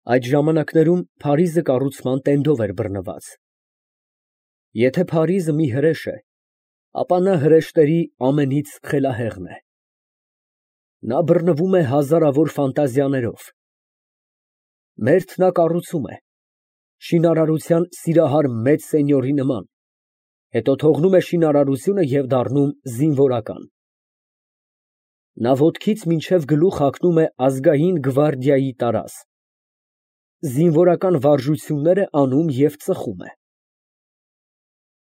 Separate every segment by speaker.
Speaker 1: Այդ ժամանակներում Փարիզը կառուցման տենդով էր բռնված։ Եթե Փարիզը մի հրեշ է, ապա նա հրեշտերի ամենից խելահեղն է։ Նա բռնվում է հազարավոր ֆանտազիաներով։ Մերթ նա կառուցում է, շինարարության սիրահար մեծ սենյորի նման, հետո թողնում է շինարարությունը և դառնում զինվորական։ Նա ոտքից մինչև գլուխ հագնում է ազգային գվարդիայի տարազ, զինվորական վարժություններ է անում և ծխում է։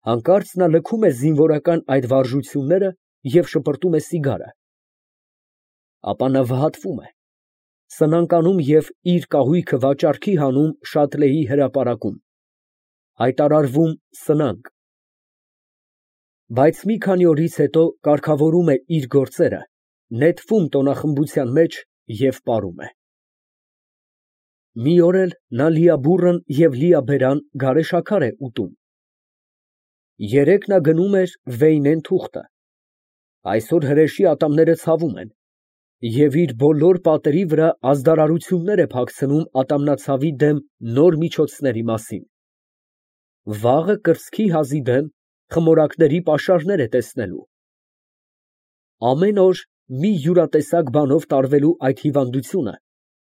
Speaker 1: Հանկարծ նա լքում է զինվորական այդ վարժությունները և շպրտում է սիգարը, ապա նա վհատվում է, սնանկանում և իր կահույքը վաճառքի հանում Շատլեի հրապարակում, հայտարարվում սնանկ, բայց մի քանի օրից հետո կարգավորում է իր գործերը, նետվում տոնախմբության մեջ և պարում է։ Մի օր էլ նա լիաբուռն և լիաբերան գարեշաքար է ուտում։ Երեկ նա գնում էր Վեյնեն թուղթը, այսօր հրեշի ատամները ցավում են և իր բոլոր պատերի վրա ազդարարություններ է փակցնում ատամնացավի դեմ նոր միջոցների մասին։ Վաղը կրծքի հազի դեմ խմորակների պաշարներ է տեսնելու։ Ամեն օր մի յուրատեսակ բանով տարվելու այդ հիվանդությունը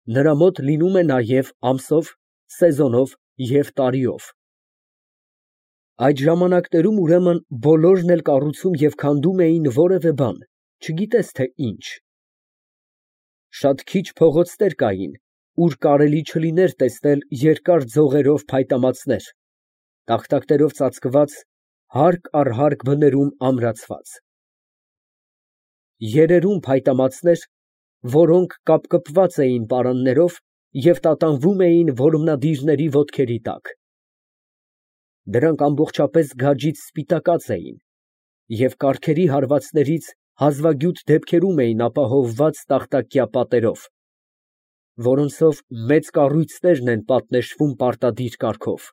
Speaker 1: նրա մոտ լինում է նաև ամսով, սեզոնով և տարիով։ Այդ ժամանակներում ուրեմն բոլորն էլ կառուցում և քանդում էին որևէ բան, չգիտես թե ինչ։ Շատ քիչ փողոցներ կային, ուր կարելի չլիներ տեսնել երկար ձողերով փայտամածներ, տախտակներով ծածկված, հարկ առ հարկ բներում ամրացված։ Երերում փայտամածներ, որոնք կապկպված էին պարաններով և տատանվում էին որմնադիրների ոտքերի տակ։ Դրանք ամբողջապես գաջից սպիտակած էին և կառքերի հարվածներից հազվագյուտ դեպքերում էին ապահովված տախտակյա պատերով, որոնցով մեծ կառույցներն են պատնեշվում պարտադիր կարգով։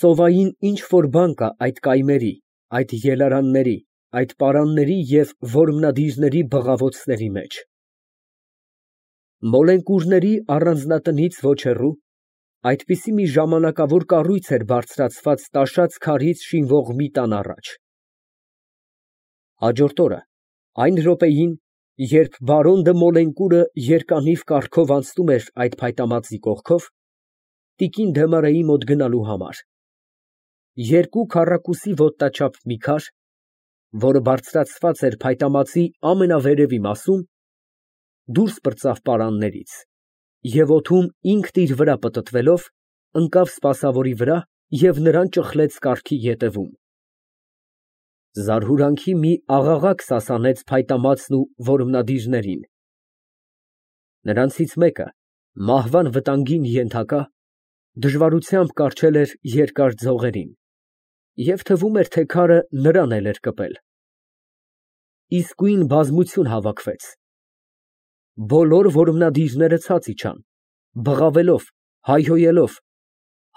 Speaker 1: Ծովային ինչ֊որ բան կա այդ կայմերի, այդ ելարանների, այդ պարանների և որմնադիրների բղավոցների մեջ։ Մոլենկուրների առանձնատնից ոչ հեռու այդպիսի մի ժամանակավոր կառույց էր բարձրացված տաշած քարից շինվող մի տան առաջ։ Հաջորդ օրը, այն րոպեին, երբ բարոն դը Մոլենկուրը երկանիվ կառքով անցնում էր այդ փայտամածի կողքով, տիկին Դեմարեի մոտ գնալու համար, երկու քառակուսի ոտնաչափ մի քար, որը բարձրացված էր փայտամածի ամենավերևի մասում, դուրս պրծավ պարաններից և օդում ինքն իր վրա պտտվելով, ընկավ սպասավորի վրա և նրան ճխլեց կառքի ետևում։ Զարհուրանքի մի աղաղակ սասանեց փայտամածն ու որմնադիրներին։ Նրանցից մեկը, մահվան վտանգին ենթակա, դժվարությամբ կառչել էր երկար ձողերին, և թվում էր, թե քարը նրան էլ էր կպել։ Իսկույն բազմություն հավաքվեց։ Բոլոր որմնադիրները ցած իջան, բղավելով, հայհոյելով,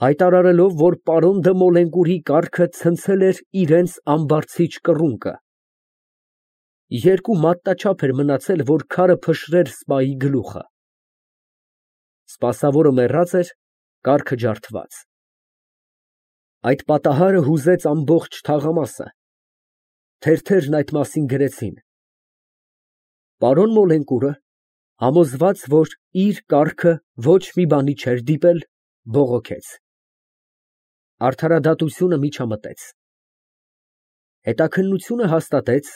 Speaker 1: հայտարարելով, որ պարոն դը Մոլենկուրի կառքը ցնցել էր իրենց ամբարձիչ կռունկը։ Երկու մատնաչափ էր մնացել, որ քարը փշրեր սպայի գլուխը։ Սպասավորը մեռած էր, կառքը ջարդված։ Այդ պատահարը հուզեց ամբողջ թաղամասը։ Թերթերն այդ մասին գրեցին։ Պարոն Մոլենկուրը, համոզված, որ իր կառքը ոչ մի բանի չէր դիպել, բողոքեց։ Արդարադատությունը միջամտեց։ Հետաքննությունը հաստատեց,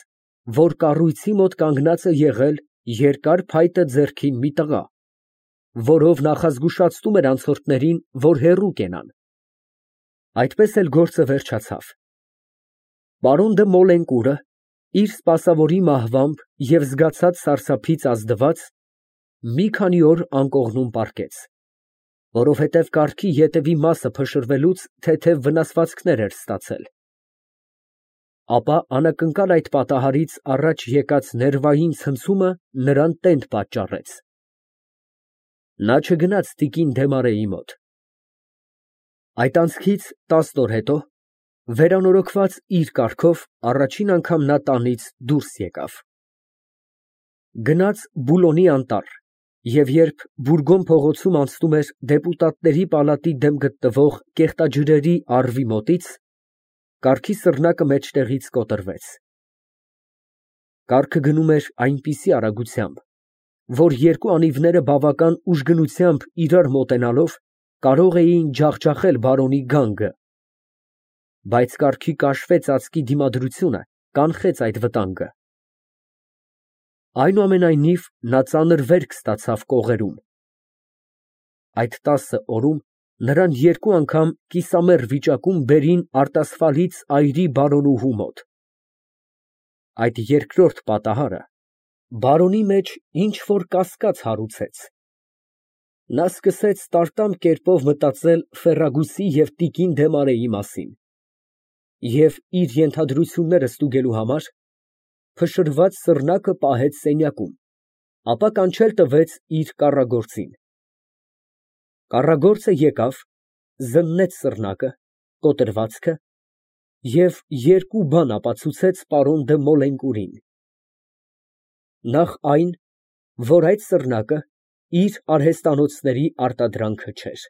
Speaker 1: որ կառույցի մոտ կանգնած է եղել երկար փայտը ձեռքին մի տղա, որով նախազգուշացնում էր անցորդներին, որ հեռու կենան։ Այդպես էլ գործը վերջացավ։ Պարոն դը Մոլենկուրը, իր սպասավորի մահվամբ և զգացած սարսափից ազդված, մի քանի օր անկողնում պառկեց, որովհետև կառքի ետևի մասը փշրվելուց թեթև վնասվածքներ էր ստացել։ Ապա անակնկալ այդ պատահարից առաջ եկած ներվային ցնցումը նրան տենդ պատճառեց։ Նա չգնաց տիկին Դեմարեի մոտ։ Այդ անցքից 10 օր հետո, վերանորոգված իր կառքով, առաջին անգամ նա տանից դուրս եկավ։ Գնաց Բուլոնի անտառ, Եվ երբ Բուրգոն փողոցում անցնում էր դեպուտատների պալատի դեմ գտնվող կեղտաջրերի առվի մոտից, կառքի սռնակը մեջտեղից կոտրվեց։ Կառքը գնում էր այնպիսի արագությամբ, որ երկու անիվները բավական ուժգնությամբ իրար մոտենալով կարող էին ջախջախել բարոնի գանգը, բայց կառքի կաշվե ծածկի դիմադրությունը կանխեց այդ վտանգը։ Այնուամենայնիվ, նա ծանր վերք ստացավ կողերում։ Այդ 10 օրում նրան երկու անգամ կիսամեռ վիճակում բերին արտասվալից այրի բարոնուհու մոտ։ Այդ երկրորդ պատահարը բարոնի մեջ ինչ֊որ կասկած հարուցեց։ Նա սկսեց տարտամ կերպով մտածել Ֆերրագուսի և տիկին Դեմարեի մասին և իր ենթադրությունները ստուգելու համար փշրված սռնակը պահեց սենյակում, ապա կանչել տվեց իր կառագործին։ Կառագործը եկավ, զննեց սռնակը, կոտրվածքը և երկու բան ապացուցեց պարոն դը Մոլենկուրին. նախ այն, որ այդ սռնակը իր արհեստանոցների արտադրանքը չէր։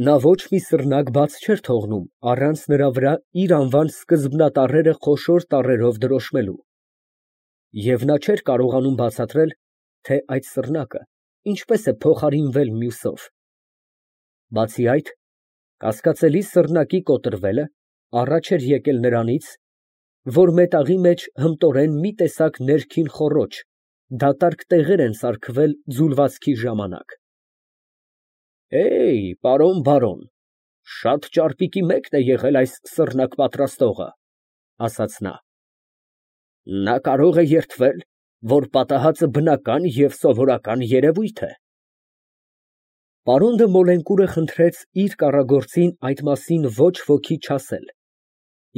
Speaker 1: Նա ոչ մի սռնակ բաց չէր թողնում առանց նրա վրա իր անվան սկզբնատառերը խոշոր տառերով դրոշմելու, և նա չէր կարողանում բացատրել, թե այդ սռնակը ինչպես է փոխարինվել մյուսով։ Բացի այդ, կասկածելի սռնակի կոտրվելը առաջ էր եկել նրանից, որ մետաղի մեջ հմտորեն մի տեսակ ներքին խոռոչ, դատարկ տեղեր են սարքվել ձուլվածքի ժամանակ։ Պարոն բարոն, շատ ճարպիկի մեկն է եղել այս սռնակ պատրաստողը, ասաց նա։ Նա կարող է երդվել, որ պատահածը բնական և սովորական երևույթ է։ Պարոն դը Մոլենկուրը խնդրեց իր կառագործին այդ մասին ոչ ոքի չասել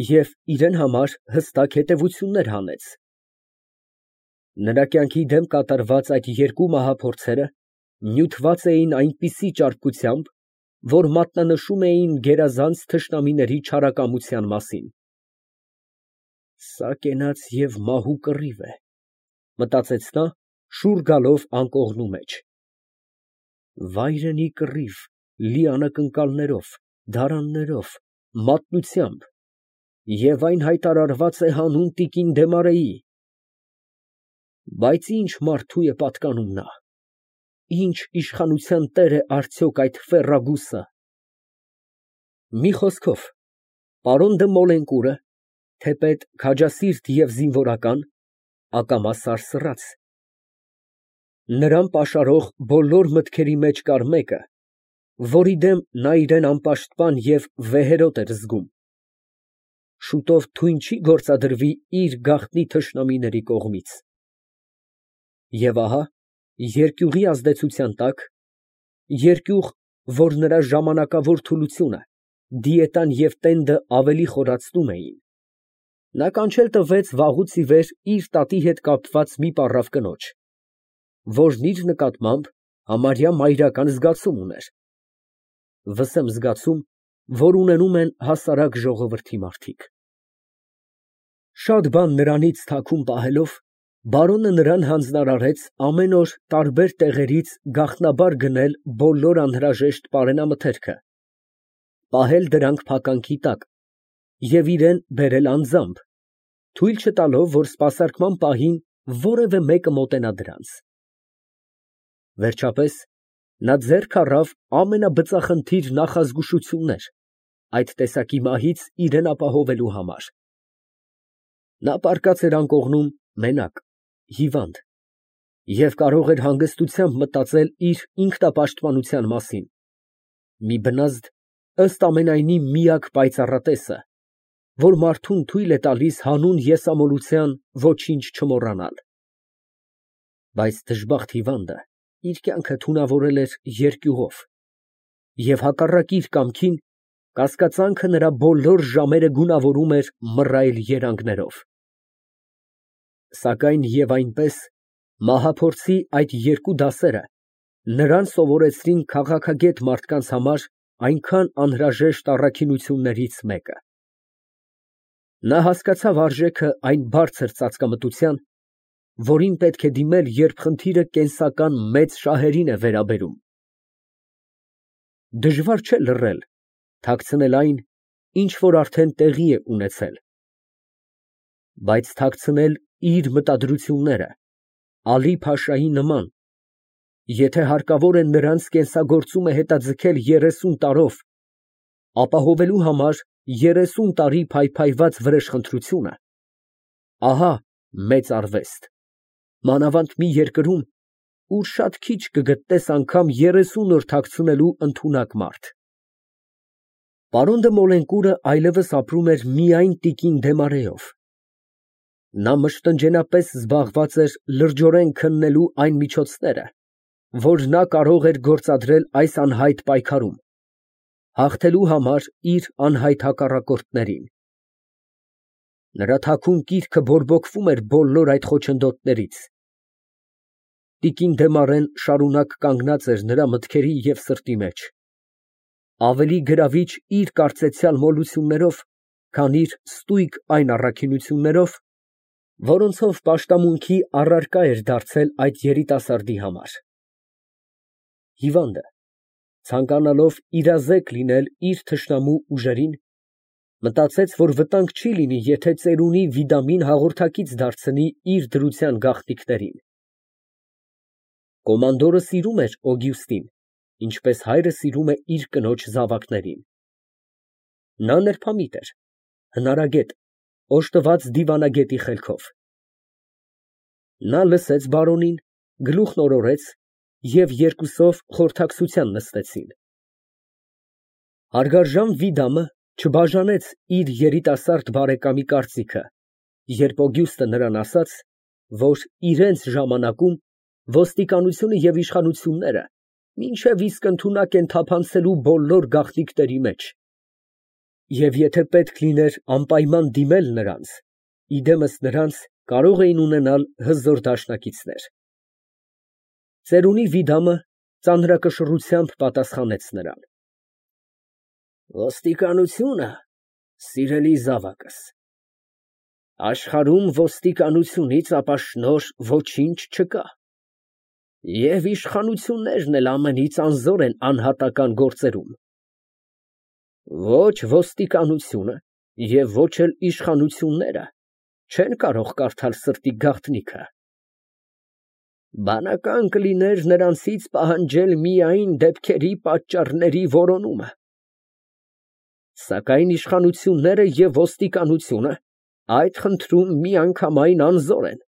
Speaker 1: և իրան համար հստակ հետևություններ հանեց։ Նրա կյանքի դեմ կատարված այդ երկու մահափորձերը նյութված էին այնպիսի ճարպկությամբ, որ մատնանշում էին գերազանց թշնամիների չարակամության մասին։ Սա կենաց և մահու կռիվ է, մտածեց նա, շուռ գալով անկողնու մեջ։ Վայրենի կռիվ, լի անակնկալներով, դարաններով, մատնությամբ, և այն հայտարարված է հանուն տիկին Դեմարեի։ Բայց ինչ մարդու է պատկանում նա, ինչ իշխանության տեր է արդյոք այդ Ֆերրագուսը։ Մի խոսքով, պարոն դը Մոլենկուրը, թեպետ քաջասիրտ և զինվորական, ակամա սարսռաց։ Նրան պաշարող բոլոր մտքերի մեջ կար մեկը, որի դեմ նա իրան անպաշտպան և վեհերոտ էր զգում։ Շուտով թույն չի գործադրվի իր գաղտնի թշնամիների կողմից։ Եվ ահա, երկյուղի ազդեցության տակ, երկյուղ, որ նրա ժամանակավոր թուլությունը, դիետան և տենդը ավելի խորացնում էին, նա կանչել տվեց վաղուց ի վեր իր տատի հետ կապված մի պառավ կնոջ, որն իր նկատմամբ համարյա մայրական զգացում ուներ, վսեմ զգացում, որ ունենում են հասարակ ժողովրդի մարդիկ։ Շատ բան նրանից թաքուն պահելով, բարոնը նրան հանձնարարեց ամեն օր տարբեր տեղերից գաղտնաբար գնել բոլոր անհրաժեշտ պարենամթերքը, պահել դրանք փականքի տակ և իրան բերել անձամբ, թույլ չտալով, որ սպասարկման պահին որևէ մեկը մոտենա դրանց։ Վերջապես, նա ձեռք առավ ամենաբծախնդիր նախազգուշություններ այդ տեսակի մահից իրան ապահովելու համար։ Նա պառկած էր անկողնում մենակ, հիվանդ, և կարող էր հանգստությամբ մտածել իր ինքնապաշտպանության մասին, մի բնազդ, ըստ ամենայնի միակ պայծառատեսը, որ մարդուն թույլ է տալիս հանուն եսամոլության ոչինչ չմոռանալ։ Բայց դժբախտ հիվանդը իր կյանքը թունավորել էր երկյուղով և հակառակ իր կամքին կասկածանքը նրա բոլոր ժամերը գունավորում էր մռայլ երանգներով։ Սակայն և այնպես, մահափորձի այդ երկու դասերը նրան սովորեցրին քաղաքագետ մարդկանց համար այնքան անհրաժեշտ առաքինություններից մեկը։ Նա հասկացավ արժեքը այն բարձր ծածկամտության, որին պետք է դիմել, երբ խնդիրը կենսական մեծ շահերին է վերաբերում։ Դժվար չէ լռել, թաքցնել այն, ինչ որ արդեն տեղի է ունեցել, բայց թաքցնել իր մտադրությունները Ալի Փաշայի նման, եթե հարկավոր է նրանց կենսագործումը հետաձգել 30 տարով, ապահովելու համար 30 տարի փայփայված վրեժխնդրությունը, ահա մեծ արվեստ, մանավանդ մի երկրում, ուր շատ քիչ կգտնես անգամ 30 օր թաքցնելու ընդունակ մարդ։ Պարոն դը Մոլենկուրը այլևս ապրում էր միայն տիկին Դեմարեով։ Նա մշտնջենապես զբաղված էր լրջորեն քննելու այն միջոցները, որ նա կարող էր գործադրել այս անհայտ պայքարում, հաղթելու համար իր անհայտ հակառակորդներին։ Նրա թաքուն կիրքը բորբոքվում էր բոլոր այդ խոչընդոտներից։ Տիկին Դեմարեն շարունակ կանգնած էր նրա մտքերի և սրտի մեջ, ավելի գրավիչ իր կարծեցյալ մոլություններով, քան իր ստույգ այն առաքինություններով, որոնցով պաշտամունքի առարկա էր դարձել այդ երիտասարդի համար։ Հիվանդը, ցանկանալով իրազեկ լինել իր թշնամու ուժերին, մտածեց, որ վտանգ չի լինի, եթե ծերունի Վիդամին հաղորդակից դարձնի իր դրության գաղտնիքներին։ Կոմանդորը սիրում էր Օգյուստին, ինչպես հայրը սիրում է իր կնոջ զավակներին։ Նա նրբամիտ էր, հնարագետ, օժտված դիվանագետի խելքով։ Նա լսեց բարոնին, գլուխն օրորեց և երկուսով խորհրդակցության նստեցին։ Հարգարժան Վիդամը չբաժանեց իր երիտասարդ բարեկամի կարծիքը, երբ Օգյուստը նրան ասաց, որ իրենց ժամանակում ոստիկանությունը և իշխանությունները մինչև իսկ ընդունակ են թափանցելու բոլոր գաղտնիքների մեջ, և եթե պետք լիներ անպայման դիմել նրանց, իդեմս նրանց կարող էին ունենալ հզոր դաշնակիցներ։ Ծերունի Վիդամը ծանրակշռությամբ պատասխանեց նրան. Ոստիկանությունը, սիրելի զավակս, աշխարհում ոստիկանությունից ապաշնորհ ոչինչ չկա, և իշխանություններն էլ ամենից անզոր են անհատական գործերում։ Ոչ ոստիկանությունը և ոչ էլ իշխանությունները չեն կարող կարդալ սրտի գաղտնիքը։ Բանական կլիներ նրանցից պահանջել միայն դեպքերի պատճառների որոնումը։ Սակայն իշխանությունները և ոստիկանությունը այդ խնդրում միանգամայն անզոր են։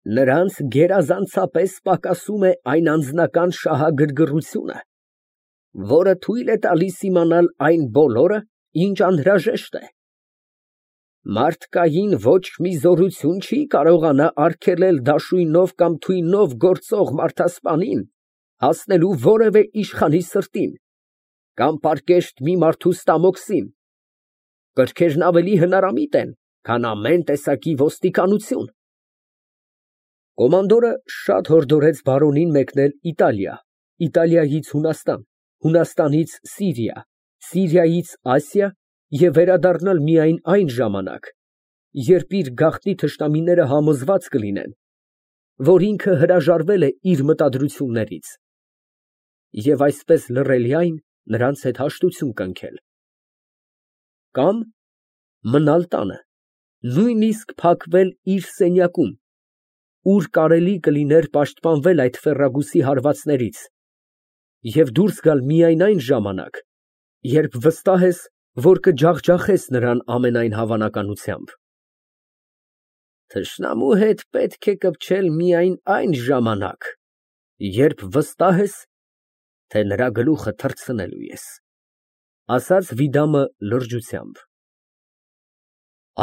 Speaker 1: Նրանց գերազանցապես պակասում է այն անձնական շահագրգռությունը, որը թույլ է տալիս իմանալ այն բոլորը, ինչ անհրաժեշտ է։ Մարդկային ոչ մի զորություն չի կարողանա արգելել դաշույնով կամ թույնով գործող մարդասպանին հասնելու որևէ իշխանի սրտին, կամ պարկեշտ մի մարդու ստամոքսին, կրքերն ավելի հնարամիտ են, քան ամեն տեսակի ոստիկանություն։ Կոմանդորը շատ հորդորեց բարոնին մեկնել Իտալիա, Իտալիայից Հունաստան, Հունաստանից Սիրիա, Սիրիայից Ասիա և վերադառնալ միայն այն ժամանակ, երբ իր գաղտնի թշնամիները համոզված կլինեն, որ ինքը հրաժարվել է իր մտադրություններից, և այսպես լռելիայն նրանց հետ հաշտություն կնքել։ Կամ մնալ տանը, նույնիսկ փակվել իր սենյակում, ուր կարելի կլիներ պաշտպանվել այդ ֆեռագուսի հարվածներից և դուրս գալ միայն այն ժամանակ, երբ վստահ ես, որ կջախջախես նրան ամենայն հավանականությամբ։ Թշնամու հետ պետք է կպչել միայն այն ժամանակ, երբ վստահ ես, թե նրա գլուխը թռցնելու ես, ասաց Վիդամը լրջությամբ։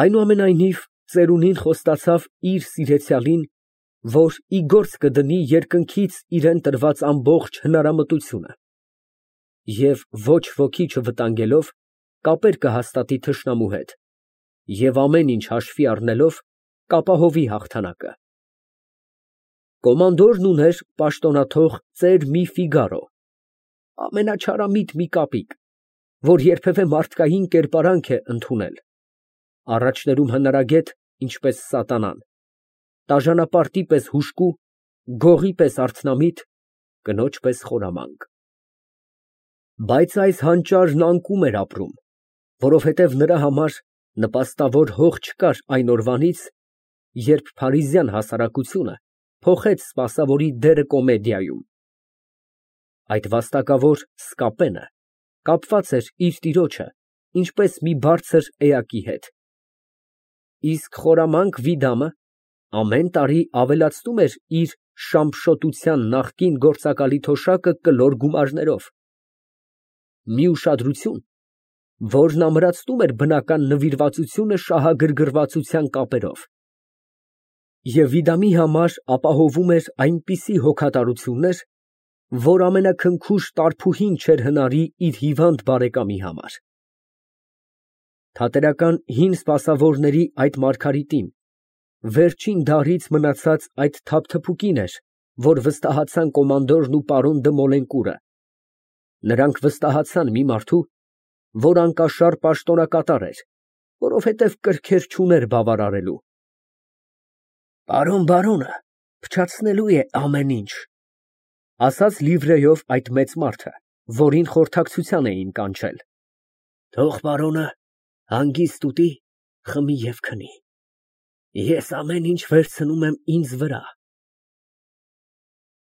Speaker 1: Այնուամենայնիվ, ծերունին խոստացավ իր սիրեցյալին, որ ի գործ կդնի երկնքից իրան տրված ամբողջ հնարամտությունը և ոչ ոքի չվտանգելով կապեր կհաստատի թշնամու հետ և ամեն ինչ հաշվի առնելով կապահովի հաղթանակը։ Կոմանդորն ուներ պաշտոնաթող ծեր մի Ֆիգարո, ամենաչարամիտ մի կապիկ, որ երբևէ մարդկային կերպարանք է ընդունել, առաջներում հնարագետ, ինչպես սատանան, տաժանապարտի պես հուժկու, գողի պես արթնամիտ, կնոջ պես խորամանկ։ Բայց այս հանճարն անկում էր ապրում, որովհետև նրա համար նպաստավոր հող չկար այն օրվանից, երբ փարիզյան հասարակությունը փոխեց սպասավորի դերը կոմեդիայում։ Այդ վաստակավոր Սկապենը կապված էր իր տիրոջը, ինչպես մի բարձր էակի հետ, իսկ խորամանկ Վիդամը ամեն տարի ավելացնում էր իր շամփշոտության նախկին գործակալի թոշակը կլոր գումարներով, մի ուշադրություն, որն ամրացնում էր բնական նվիրվածությունը շահագրգռվածության կապերով, և Վիդամի համար ապահովում էր այնպիսի հոգատարություններ, որ ամենաքնքուշ տարփուհին չէր հնարի իր հիվանդ բարեկամի համար։ Թատերական հին սպասավորների այդ Մարգարիտին վերջին դարից մնացած այդ թափթփուկին էր, որ վստահացան կոմանդորն ու պարոն դը Մոլենկուրը, նրանք վստահացան մի մարդու, որ անկաշառ պաշտոնակատար էր, որովհետև կրքեր չուներ բավարարելու։ Պարոն բարոնը փչացնելու է ամեն ինչ, ասաց լիվրեով այդ մեծ մարդը, որին խորհրդակցության էին կանչել։ Թող պարոնը հանգիստ ուտի, խմի և քնի։ Ես ամեն ինչ վերցնում եմ ինձ վրա։